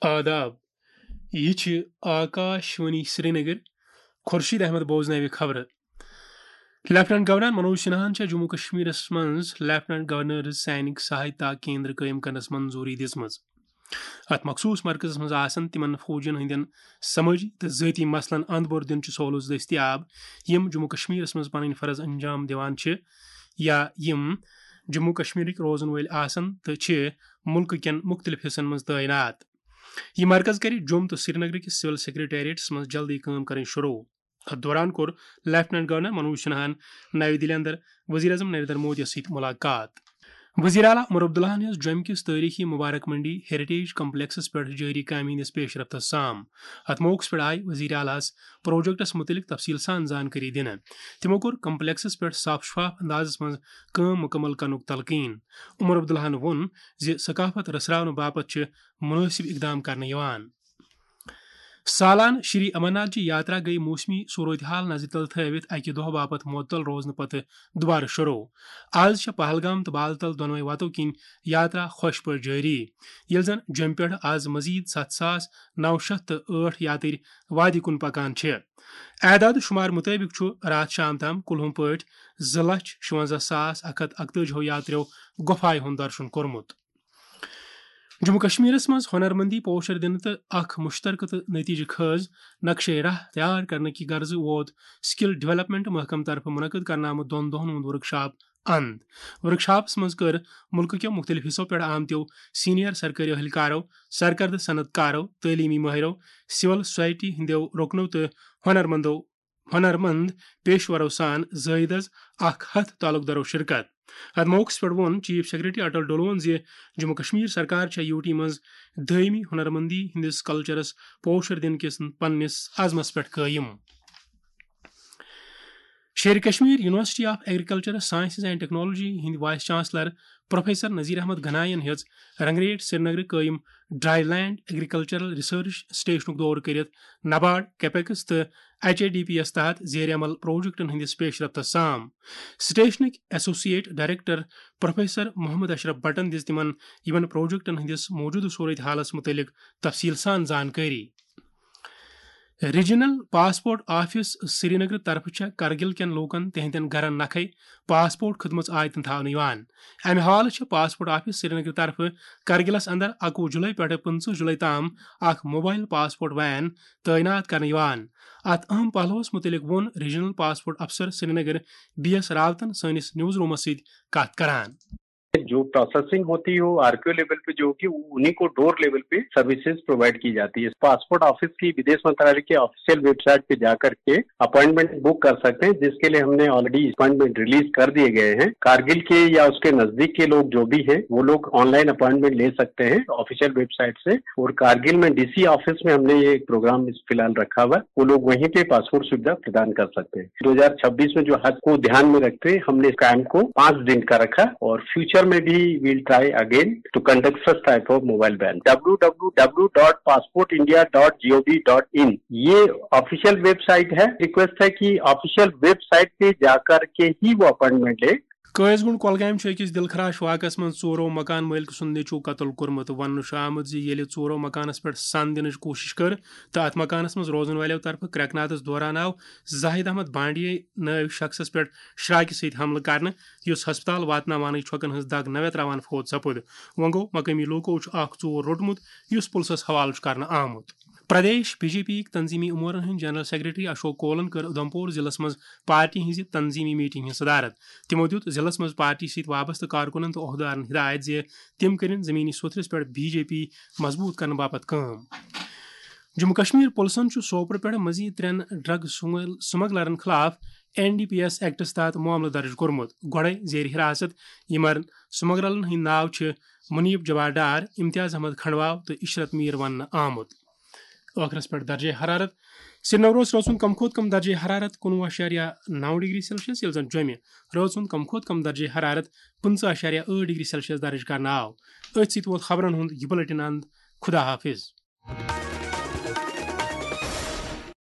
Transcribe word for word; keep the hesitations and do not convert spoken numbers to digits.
آداب، یہِ چھِ آکاش وانی سرینگر۔ خورشید احمد بوزناوِ خبرٕ۔ لیفٹیننٹ گورنر منوج سنہاہن چھےٚ جموں کشمیرس منٛز لیفٹیننٹ گورنرز سینک سہایتا کیندر قٲیِم کرنس منظوٗری دِژمٕژ۔ اتھ مخصوٗص مرکزس منٛز آسن تِمن فوجین ہٕنٛدٮ۪ن سمٲجی تہٕ ذٲتی مسلن اند بور دِنٕچ سہولژ دٔستیاب، یِم جموں کشمیرس منٛز پنٕنۍ فرض انجام دِوان چھِ یا یِم جموں کشمیرٕکۍ روزن وٲلۍ آسن تہٕ چھِ مُلکہٕ کٮ۪ن مُختٔلِف حصن منٛز تعینات۔ یہِ مرکز کرِ جوٚم تہٕ سرینگرٕ کِس سول سیکرٹریٹس منٛز جلدی کٲم کرٕنۍ شروع۔ اتھ دوران کوٚر لیفٹیننٹ گورنر منوج سنہاہن نَوِ دِلہِ اندر وزیر اعظم نریندر مودیَس سۭتۍ ملاقات۔ وزیر اعلیٰ عمر عبداللہَن ہیٚژ جوٚمہِ کِس تٲریخی مبارک منڈی ہیریٹیج کمپلیکسس پٮ۪ٹھ جٲری کامہِ ہٕنٛدِس پیش رفتس سام۔ اتھ موقعس پٮ۪ٹھ آیہِ وزیر اعلیٰ ہَس پروجیکٹس مُتعلق تفصیل سان زانکٲری دِنہٕ۔ تِمو کوٚر کمپلیکسس پٮ۪ٹھ صاف شفاف اندازس منٛز کٲم مکمل کرنُک تلقین۔ عمر عبداللہَن ووٚن زِ ثقافت رژھراونہٕ باپتھ چھِ مناسب اقدام کرنہٕ یِوان۔ سالانہٕ شری امرناتھ جی یاترا گٔیہِ موسمی صورتحال نظرِ تل تھٲوِتھ اکہِ دۄہ باپتھ معطل روزنہٕ پتہٕ دوبارٕ شروع۔ از چھےٚ پہلگام تہٕ بالتل دۄنوے وتو کِنۍ یاترا خۄش پٲٹھۍ جٲری، ییٚلہِ زن جوٚمہِ پٮ۪ٹھ از مزید ستھ ساس نو شیٚتھ تہٕ ٲٹھ یاترۍ وادی کُن پکان چھِ۔ اعداد و شمار مطٲبق چھُ راتھ شام تام کُلہُم پٲٹھۍ زٕ لچھ شُونزہ ساس اکھ ہتھ اکتٲجی ہو یاتریو گۄپھایہِ ہُنٛد درشن کوٚرمُت۔ جموں کشمیرس منٛز ہنرمندی پوشر دِنہٕ تہٕ اکھ مشترکہٕ تہٕ نتیجہٕ خیز نقشے راہ تیار کرنہٕ کہِ غرضہٕ ووت سکل ڈیولپمنٹ محکمہٕ طرفہٕ منعقد کرنہٕ آمُت دۄن دۄہن ہُنٛد ورکشاپ اند۔ ورکشاپس منٛز کٔر ملکہٕ کٮ۪و مختلف حصو پٮ۪ٹھ آمتیو سینئر سرکٲری اہلکارو، سرکردٕ صنعت کارو، تعلیمی مٲہرو، سول سوسائٹی ہٕنٛدیو رُکنو تہٕ ہنرمندو ہنرمند پیشورو سان زٲیدس اکھ ہتھ تعلق دارو شرکت۔ اتھ موقعس پٮ۪ٹھ ووٚن چیف سیکرٹری اٹل ڈولون زِ جموں کشمیر سرکار چھےٚ یوٗ ٹی منٛز دٲیمی ہنرمندی ہٕنٛدِس کلچرس پوشر دِنہٕ کِس پننِس عزمس پٮ۪ٹھ قٲیِم۔ Sher Kashmir university of agricultural sciences and technology ہٕنٛدۍ vice chancellor professor Nazir Ahmad گناین ہیٚژ رنگریٹ سرینگرٕ قٲیِم ڈرائی لینڈ ایگریکلچرل ریسرچ سٹیشنُک دورٕ کٔرِتھ نبارڈ، کیپیکس تہٕ ایچ اے ڈی پی یَس تحت زیر عمل پروجیکٹن ہٕنٛدِس پیش رفتس سام۔ سٹیشنٕکۍ associate director professor Mohammad Ashraf بٹن دِژ تِمن یِمن پروجیکٹن ہٕنٛدِس موجودٕ صورت حالس مُتعلق تفصیل سان زانکٲری۔ ریجنل پاسپورٹ آفس سرینگر طرفہٕ چھےٚ کرگل کٮ۪ن لوٗکن تِہنٛدٮ۪ن گرن نکھے پاسپورٹ خدمژ آیتن تھاونہٕ یِوان۔ امہِ حالہٕ چھےٚ پاسپورٹ آفس سرینگر طرفہٕ کرگلس اندر اکوُہ جولائی پٮ۪ٹھٕ پٕنٛژٕہ جولائی تام اکھ موبائل پاسپورٹ وین تعینات کرنہٕ یِوان۔ اتھ اہم پہلوس مُتعلق ووٚن ریجنل پاسپورٹ افسر سرینگر بی ایس راوتن سٲنِس نیوز رومس سۭتۍ کتھ کران۔ جو پروسیسنگ ہوتی who R P O level پہ جو ہوگی، وہ انہیں کو ڈور لیول پہ سروسز پرووائڈ کی جاتی ہے۔ پاسپورٹ آفس کی ودیش منترالیہ کے آفیشل ویب سائٹ پہ جا کر کے اپوائنٹمنٹ بک کر سکتے ہیں، جس کے لیے ہم نے آلریڈی اپوائنٹمنٹ ریلیز کر دیے گئے ہیں۔ کارگل کے یا اس کے نزدیک کے لوگ جو بھی ہیں، وہ لوگ آن لائن اپوائنٹمنٹ لے سکتے ہیں آفیشل ویب سائٹ سے۔ اور کارگل میں ڈی سی آفس میں ہم نے یہ پروگرام فی الحال رکھا ہوا ہے، وہ لوگ وہیں پہ پاسپورٹ سویدھا پردان کر سکتے ہیں۔ دو ہزار چھبیس میں جو حد کو دھیان میں رکھتے ہوئے ہم نے اس کیمپ کو پانچ دن کا رکھا اور فیوچر میں بھی we'll try again to conduct such type of mobile ban. W W W dot passport india dot gov dot in یہ آفیشل ویب سائٹ ہے۔ ریکویسٹ ہے کہ آفیشل ویب سائٹ پہ جا کر کے ہی وہ اپوائنٹمنٹ لے۔ قٲضۍ گُنٛڈ کۄلگامہِ چھُ أکِس دِلخراش واقعس منٛز ژورو مکان مٲلکہٕ سُنٛد نیٚچوٗ قتل کوٚرمُت۔ وننہٕ چھُ آمُت زِ ییٚلہِ ژورو مکانس پٮ۪ٹھ سَن دِنٕچ کوٗشِش کٔر تہٕ اتھ مکانس منٛز روزن والٮ۪و طرفہٕ کرٛٮ۪کنادس دوران آو زاہد احمد بانڈیے نٲوۍ شخصس پٮ۪ٹھ شراکہِ سۭتۍ حملہٕ کرنہٕ، یُس ہسپتال واتناونٕچ چھۄکن ہٕنٛز دگ نوے تراوان فوت سپُد۔ وۄنۍ گوٚو، مقٲمی لوٗکو چھُ اکھ ژوٗر روٚٹمُت، یُس پُلسس حوالہٕ چھُ کرنہٕ آمُت۔ پردیش بی جے پی یٕکۍ تنظیمی امورن ہٕنٛدۍ جنرل سیکرٹری اشوک کولن کٔر اُدھمپور ضلعس منٛز پارٹی ہٕنٛزِ تنظیمی میٹنگ ہٕنٛز صدارت۔ تِمو دِیُت ضلعس منٛز پارٹی سۭتۍ وابستہٕ کارکُنن تہٕ عہدٕدارن ہدایت زِ تِم کٔرِن زمینی سوٚتھرِس پٮ۪ٹھ بی جے پی مضبوٗط کرنہٕ باپتھ کٲم۔ جموں کشمیر پُلسن چھُ سوپور پٮ۪ٹھ مزید ترٛٮ۪ن ڈرگ سمگل-، سمگلرن خلاف این ڈی پی ایس ایکٹس تحت معاملہٕ درج کوٚرمُت۔ گۄڈَے زیر حراست یِمن سمگلرن ہٕنٛدۍ ناو چھِ منیب جبار ڈار، امتیاز احمد کھنڈواو تہٕ عشرت میر وننہٕ آمُت۔ ٲخرس پٮ۪ٹھ درجے حرارت۔ سرینگرس رٲژ ہُنٛد کم کھۄتہٕ کم درجے حرارت کُنوُہ اَشاریہ نَو ڈگری سیلسیس، ییٚلہِ زن جوٚمہِ رٲژ ہُنٛد کم کھۄتہٕ کم درجے حرارت پٕنٛژٕہ اَشاریہ ٲٹھ ڈگری سیلسیس درج کرنہٕ آو۔ أتھۍ سۭتۍ ووت خبرن ہُنٛد یہِ بلیٹن اند۔ خدا حافظ۔